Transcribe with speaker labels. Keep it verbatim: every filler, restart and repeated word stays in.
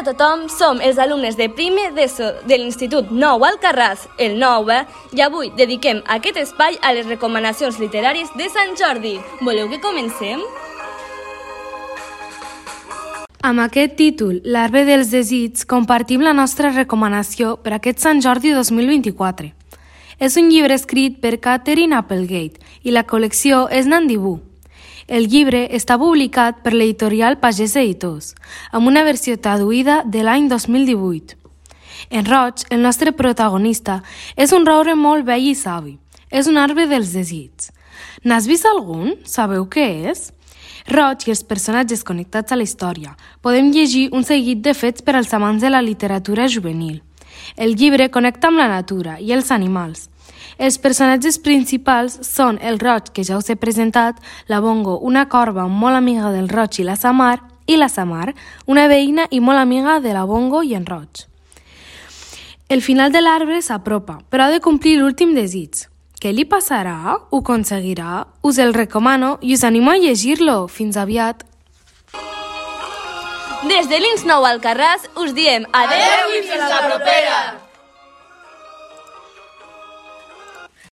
Speaker 1: a tothom, som els alumnes de primer d'ESO de l'Institut Nou Alcarràs, el nou E, i avui dediquem aquest espai a les recomanacions literàries de Sant Jordi. Voleu que comencem?
Speaker 2: Amb aquest títol, L'arbre dels desits, compartim la nostra recomanació per aquest Sant Jordi dos mil vint-i-quatre. És un llibre escrit per Katherine Applegate i la col·lecció és Nandibú. El llibre està publicat per l'editorial Pagès Editors, amb una versió traduïda de l'any dos mil divuit. En Roig, el nostre protagonista, és un roure molt vell i savi. És un arbre dels desits. N'has vist algun? Sabeu què és? Roig i els personatges connectats a la història. Podem llegir un seguit de fets per als amants de la literatura juvenil. El llibre connecta amb la natura i els animals. Els personatges principals són el Roig, que ja us he presentat, la Bongo, una corba molt amiga del Roig i la Samar, i la Samar, una veïna i molt amiga de la Bongo i en Roig. El final de l'arbre s'apropa, però ha de complir l'últim desig. Què li passarà? Ho aconseguirà? Us el recomano i us animo a llegir-lo. Fins aviat!
Speaker 1: Des de l'Ins Nou Alcarràs us diem adeu i fins la propera!